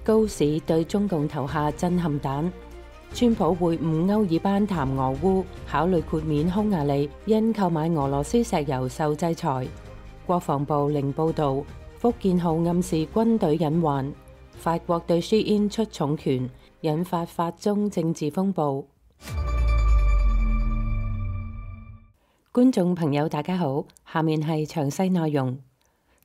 高市對中共投下震撼彈。川普會晤歐爾班談俄烏，考慮豁免匈牙利因購買俄羅斯石油受制裁。國防部零報導，福建號暗示軍隊隱患。法國對 Shein 出重拳，引發法中政治風暴。觀眾朋友大家好，下面係詳細內容。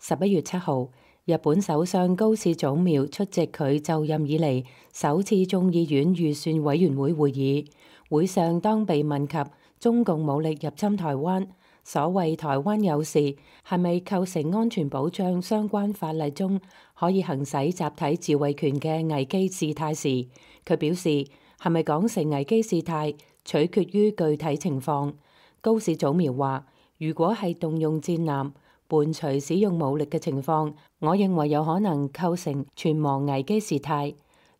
11月7號，日本首相高市早苗出席佢就任以嚟首次眾議院預算委員會會議。會上當被問及中共武力入侵台灣，所謂台灣有事係咪構成安全保障相關法例中可以行使集體自衛權嘅危機事態時，佢表示係咪講成危機事態取決於具體情況。高市早苗話：如果係動用戰艦伴隨使用武力嘅情況，我認為有可能構成存亡危機事態。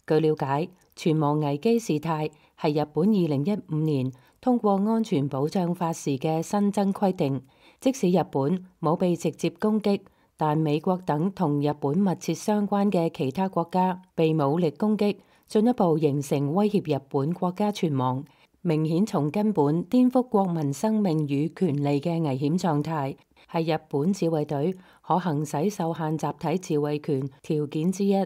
據了解，存亡危機事態係日本2015年通過安全保障法時嘅新增規定，即使日本冇被直接攻擊，但美國等同日本密切相關嘅其他國家被武力攻擊，進一步形成威脅日本國家存亡，明顯從根本顛覆國民生命與權利嘅危險狀態，係日本自衛隊可行使受限集體自衛權條件之一。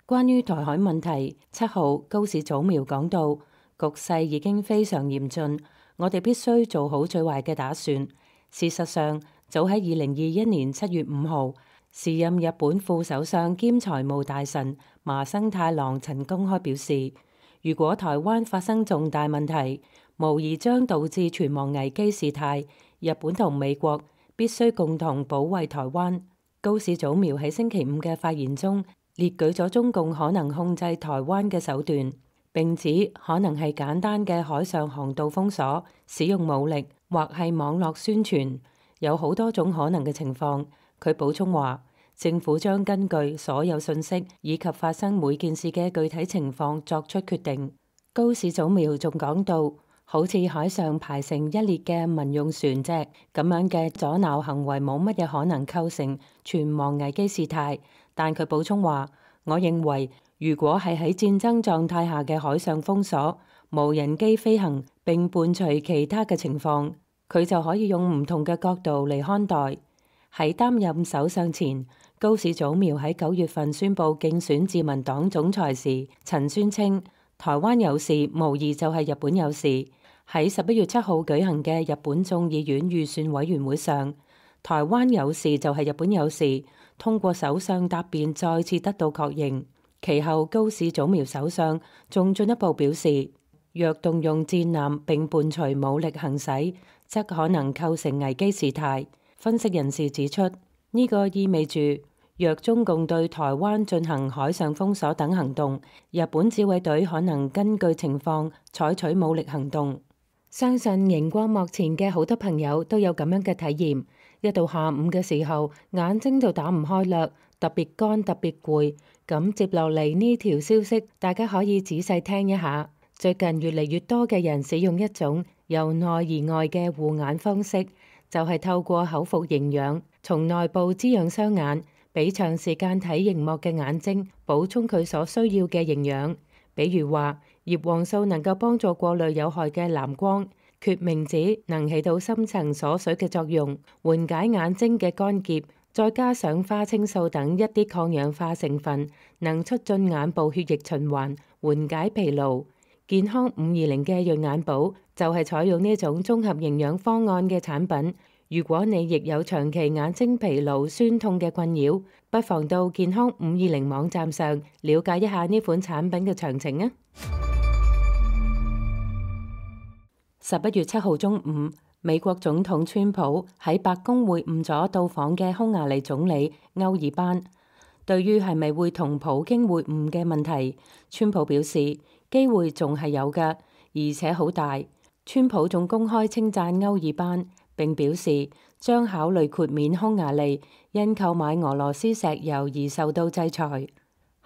關於台海問題，7號高市早苗講到，局勢已經非常嚴峻，我哋必須做好最壞嘅打算。事實上，早喺2021年7月5號，時任日本副首相兼財務大臣麻生太郎曾公開表示，如果台灣發生重大問題，無疑將導致存亡危機事態，日本同美國必須共同保衛台灣。高市早苗喺星期五嘅發言中列舉咗中共可能控制台灣嘅手段，並指可能係簡單嘅海上航道封鎖、使用武力，或係網絡宣傳，有好多種可能嘅情況。佢補充話，政府將根據所有信息以及發生每件事嘅具體情況作出決定。高市早苗仲講到，好似海上排成一列嘅民用船隻咁樣嘅阻撓行為冇乜嘢可能構成存亡危機事態，但佢補充話，我認為如果係喺戰爭狀態下嘅海上封鎖、無人機飛行並伴隨其他嘅情況，佢就可以用唔同嘅角度嚟看待。喺擔任首相前，高市早苗喺9月份宣布競選自民黨總裁時，曾宣稱台灣有事無疑就係日本有事。喺11月7號舉行嘅日本眾議院預算委員會上，台灣有事就係日本有事，通過首相答辯再次得到確認。其後高市早苗首相仲進一步表示，若動用戰艦並伴隨武力行使，則可能構成危機事態。分析人士指出，呢個意味住若中共對台灣進行海上封鎖等行動，日本自衛隊可能根據情況採取武力行動。相信熒光幕前嘅好多朋友都有咁樣嘅體驗，一到下午嘅時候，眼睛就打唔開啦，特別乾，特別攰。咁接落嚟呢條消息，大家可以仔細聽一下。最近越嚟越多嘅人使用一種由內而外嘅護眼方式，就係透過口服營養，從內部滋養雙眼，俾長時間睇螢幕嘅眼睛補充佢所需要嘅營養。比如話，葉黃素能夠幫助過濾有害嘅藍光，決明子能起到深層鎖水嘅作用，緩解眼睛嘅乾澀，再加上花青素等一啲抗氧化成分，能促進眼部血液循環，緩解疲勞。健康520嘅潤眼寶就係採用呢種綜合營養方案嘅產品。如果你亦有長期眼睛疲勞、酸痛嘅困擾，不妨到健康520網站上了解一下呢款產品嘅詳情啊。11月7號中午，美國總統川普喺白宮會晤咗到訪嘅匈牙利總理歐爾班。對於係咪會同普京會晤嘅問題，川普表示機會仲係有㗎，而且好大。川普仲公開稱讚歐爾班，並表示將考慮豁免匈牙利因購買俄羅斯石油而受到制裁。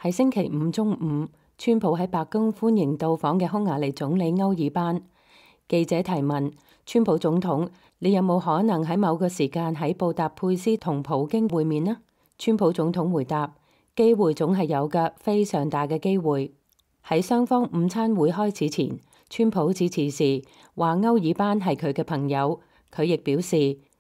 喺星期五中午，川普喺白宮歡迎到訪嘅匈牙利總理歐爾班。記者提問川普總統，你有冇可能喺某個時間喺布達佩斯同普京會面呢？川普總統回答，機會總係有㗎，非常大嘅機會。喺雙方午餐會開始前，川普致辭時話歐爾班係佢嘅朋友，佢亦表示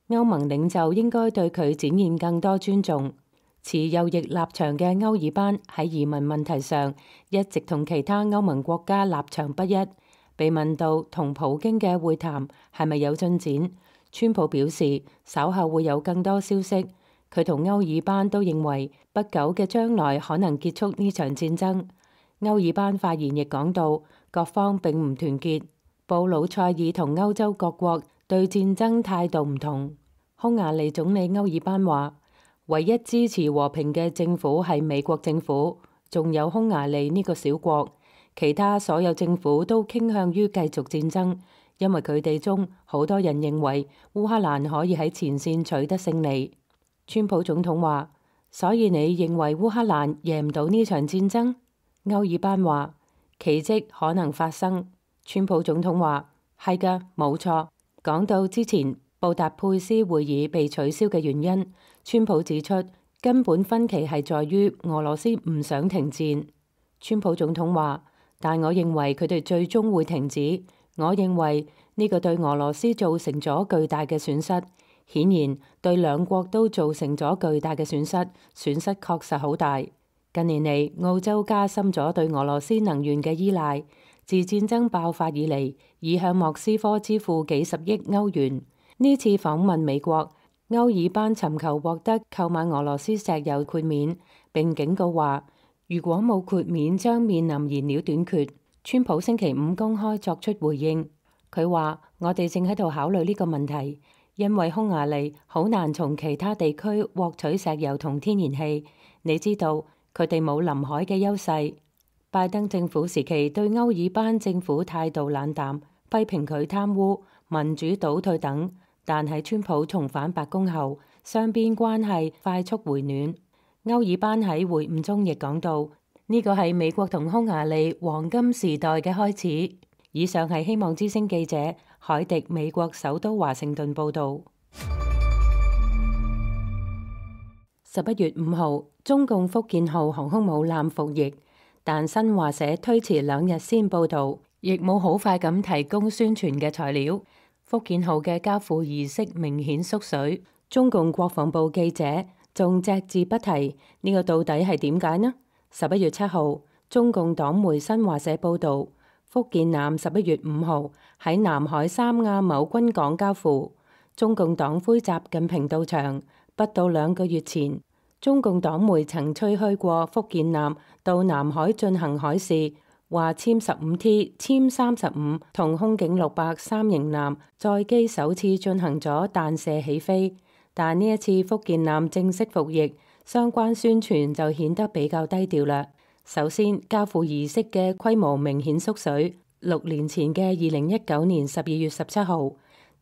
歐盟領袖應該對佢展現更多尊重。持右翼立場嘅歐爾班喺移民問題上一直同其他歐盟國家立場不一。被問到同普京嘅會談係咪有進展，川普表示稍後會有更多消息。佢同歐爾班都認為不久嘅將來可能結束呢場戰爭。歐爾班發言亦講到各方並唔團結。布魯塞爾同歐洲各國對戰爭態度唔同。匈牙利總理歐爾班話：唯一支持和平嘅政府係美國政府，仲有匈牙利呢個小國。其他所有政府都傾向於繼續戰爭，因為佢哋中好多人認為烏克蘭可以喺前線取得勝利。川普總統話：所以你認為烏克蘭贏唔到呢場戰爭？歐爾班話：奇蹟可能發生。川普總統話：係㗎，冇錯。講到之前布達佩斯會議被取消嘅原因，川普指出根本分歧係在於俄羅斯唔想停戰。川普總統話：但我認為佢哋最終會停止。我認為呢個對俄羅斯造成咗巨大嘅損失，顯然對兩國都造成咗巨大嘅損失，損失確實好大。近年嚟，澳洲加深咗對俄羅斯能源嘅依賴，自戰爭爆發以嚟，已向莫斯科支付幾十億歐元。呢次訪問美國，歐爾班尋求獲得購買俄羅斯石油豁免，並警告話：如果冇豁免，將面臨燃料短缺。川普星期五公開作出回應，佢話：我哋正喺度考慮呢個問題，因為匈牙利好難從其他地區獲取石油同天然氣。你知道佢哋冇臨海嘅優勢。拜登政府時期對歐爾班政府態度冷淡，批評佢貪污、民主倒退等，但喺川普重返白宮後，雙邊關係快速回暖。歐爾班喺會晤中亦講到，呢個係美國同匈牙利黃金時代嘅開始。以上係希望之聲記者海迪美國首都華盛頓報導。11月5號，中共福建號航空母艦服役，但新華社推遲2日先報導，亦冇好快咁提供宣傳嘅材料。福建號嘅交付儀式明顯縮水，中共國防部記者仲隻字不提，呢個到底係點解呢？11月7號，中共黨媒新華社報導，福建艦11月5號喺南海三亞某軍港交付。中共黨魁習近平到場，不到2個月前，中共黨媒曾吹噓過福建艦到南海進行海試，話殲15T、殲35同空警600三型艦載機首次進行咗彈射起飛。但呢一次福建艦正式服役，相關宣傳就顯得比較低調啦。首先，交付儀式嘅規模明顯縮水。6年前嘅2019年12月17號，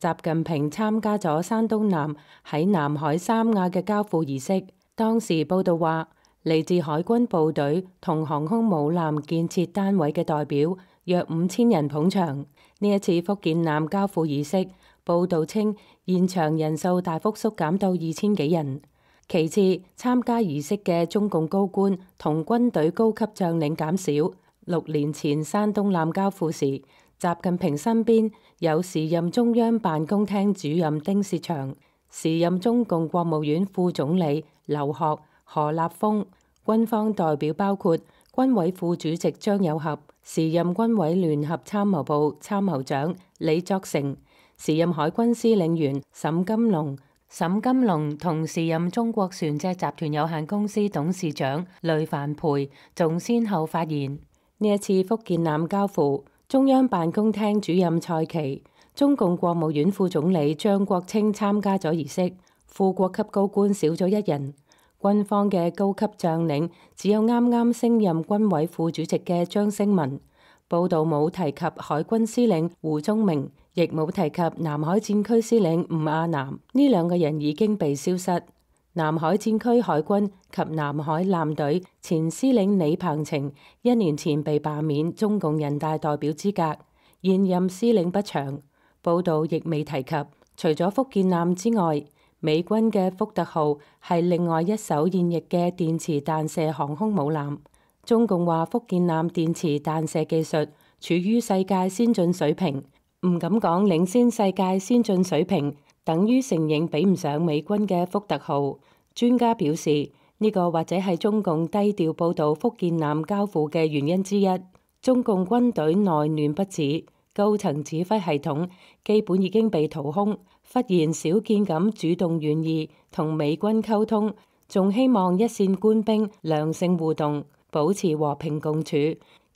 習近平參加咗山東艦喺南海三亞嘅交付儀式。當時報道話，嚟自海軍部隊同航空母艦建設單位嘅代表約5000人捧場。呢一次福建艦交付儀式，報道稱現場人數大幅縮減到2000幾人。其次，參加儀式嘅中共高官同軍隊高級將領減少。6年前山東艦交付時，習近平身邊有時任中央辦公廳主任丁薛祥、時任中共國務院副總理劉鶴、何立峰，軍方代表包括軍委副主席張又俠、時任軍委聯合參謀部參謀長李作成、時任海軍司令員沈金龍同時任中國船隻集團有限公司董事長雷凡培，仲先後發言。呢一次福建艦交付，中央辦公廳主任蔡奇、中共國務院副總理張國清參加咗儀式，副國級高官少咗1人。軍方嘅高級將領只有啱啱升任軍委副主席嘅張升文。報道冇提及海軍司令胡宗明，亦冇提及南海戰區司令吳亞南，呢2個人已經被消失。南海戰區海軍及南海艦隊前司令李鵬程1年前被罷免中共人大代表資格，現任司令不詳。報道亦未提及，除咗福建艦之外，美軍嘅福特號係另外一艘現役嘅電磁彈射航空母艦。中共話福建艦電磁彈射技術處於世界先進水平，唔敢講領先世界先進水平，等於承認比唔上美軍嘅福特號。專家表示，呢個或者係中共低調報導福建艦交付嘅原因之一。中共軍隊內亂不止，高層指揮系統基本已經被掏空，忽然少見咁主動願意同美軍溝通，仲希望一線官兵良性互動，保持和平共處，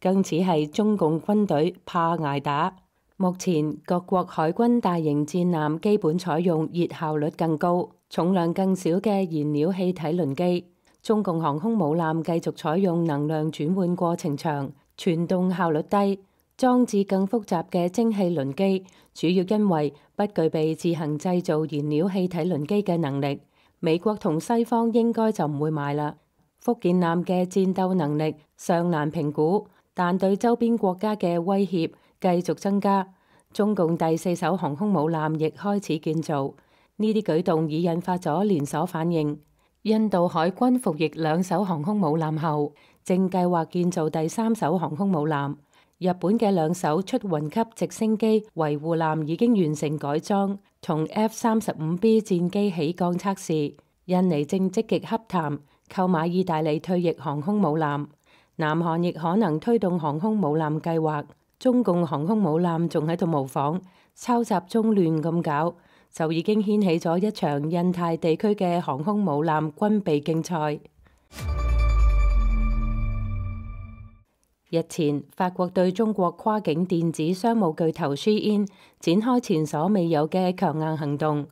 更似係中共軍隊怕捱打。目前各國海軍大型戰艦基本採用熱效率更高、重量更少嘅燃料氣體輪機，中共航空母艦繼續採用能量轉換過程長、傳動效率低、裝置更複雜嘅蒸汽輪機，主要因為不具備自行製造燃料氣體輪機嘅能力。美國同西方應該就唔會買啦。福建艦嘅戰鬥能力尚難評估，但對周邊國家嘅威脅繼續增加。中共第4艘航空母艦亦開始建造，呢啲舉動已引發咗連鎖反應。印度海軍服役2艘航空母艦後，正計劃建造第3艘航空母艦。日本嘅2艘出雲級直升機維護艦已經完成改裝，同 F-35B 戰機起降測試。印尼正積極洽談購買意大利退役航空母艦，南韓亦可能推動航空母艦計劃。中共航空母艦仲喺度模仿抄襲中亂咁搞，就已經掀起咗一場印太地區嘅航空母艦軍備競賽。日前，法國對中國跨境電子商務巨頭 Shein 展開前所未有嘅強硬行動。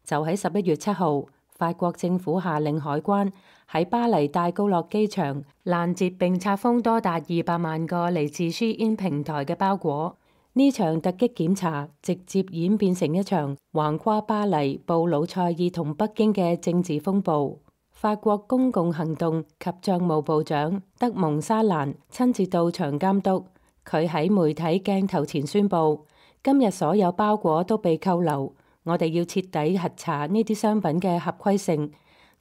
就喺11月7號，法國政府下令海關喺巴黎戴高樂機場攔截並拆封多達200萬個嚟自 Shein 平台嘅包裹。呢場突擊檢查直接演變成一場橫跨巴黎、布魯塞爾同北京嘅政治風暴。法國公共行動及帳務部長德蒙沙蘭親自到場監督。佢喺媒體鏡頭前宣布，今日所有包裹都被扣留。我哋要徹底核查呢啲商品嘅合規性。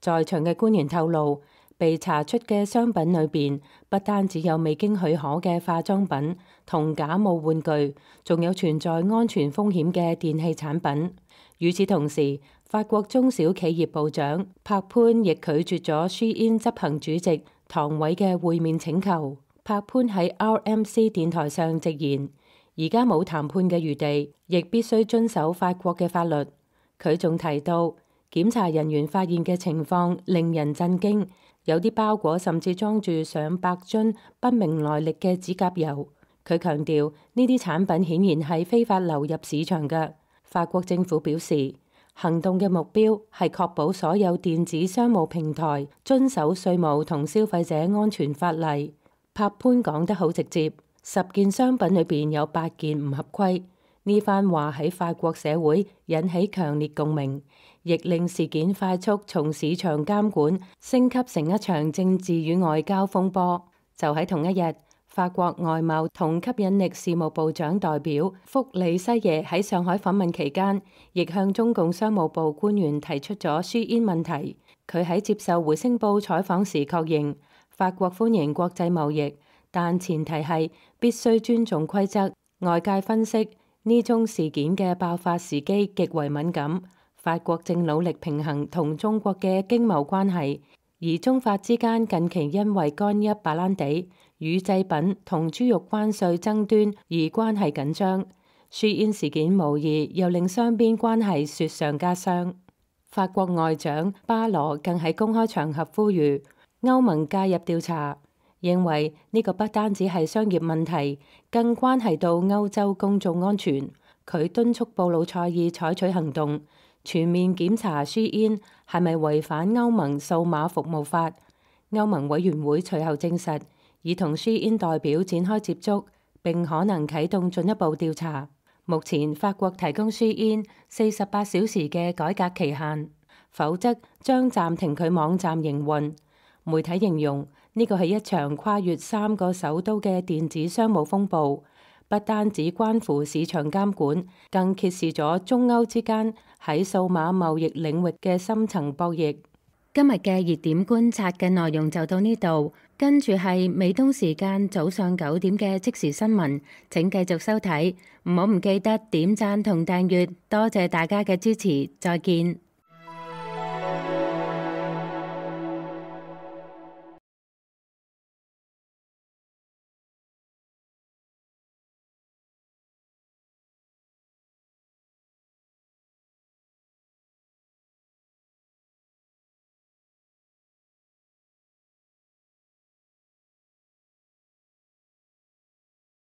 在場嘅官員透露，被查出嘅商品裏邊不單只有未經許可嘅化妝品同假冒玩具，仲有存在安全風險嘅電器產品。與此同時，法國中小企業部長帕潘亦拒絕咗 Shein 執行主席唐偉嘅會面請求。帕潘喺 RMC 電台上直言，而家冇談判嘅餘地，亦必須遵守法國嘅法律。佢仲提到，檢查人員發現嘅情況令人震驚，有啲包裹甚至裝住上百樽不明來歷嘅指甲油。佢強調，呢啲產品顯然係非法流入市場嘅。法國政府表示，行動嘅目標係確保所有電子商務平台遵守稅務同消費者安全法例。帕潘講得好直接。10件商品裏邊有8件唔合規，呢番話喺法國社會引起強烈共鳴，亦令事件快速從市場監管升級成一場政治與外交風波。就喺同一日，法國外貿同吸引力事務部長代表福里西耶喺上海訪問期間，亦向中共商務部官員提出咗 Shein 問題。佢喺接受回聲報採訪時確認，法國歡迎國際貿易，但前提係必須尊重規則。外界分析，呢宗事件嘅爆發時機極為敏感，法國正努力平衡同中國嘅經貿關係，而中法之間近期因為干邑白蘭地、乳製品同豬肉關稅爭端而關係緊張。Shein 事件無疑又令雙邊關係雪上加霜。法國外長巴羅更喺公開場合呼籲歐盟介入調查，認為呢個不單止係商業問題，更關係到歐洲公眾安全。佢敦促布魯塞爾採取行動，全面檢查 Shein 係咪違反歐盟數碼服務法。歐盟委員會隨後證實，已同 Shein 代表展開接觸，並可能啟動進一步調查。目前法國提供 Shein 48小時嘅改革期限，否則將暫停佢網站營運。媒體形容呢個係一場跨越3個首都嘅電子商務風暴，不單止關乎市場監管，更揭示咗中歐之間喺數碼貿易領域嘅深層博弈。今日嘅熱點觀察嘅內容就到呢度，跟住係美東時間早上9點嘅即時新聞，請繼續收睇，唔好唔記得點讚同訂閱，多謝大家嘅支持，再見。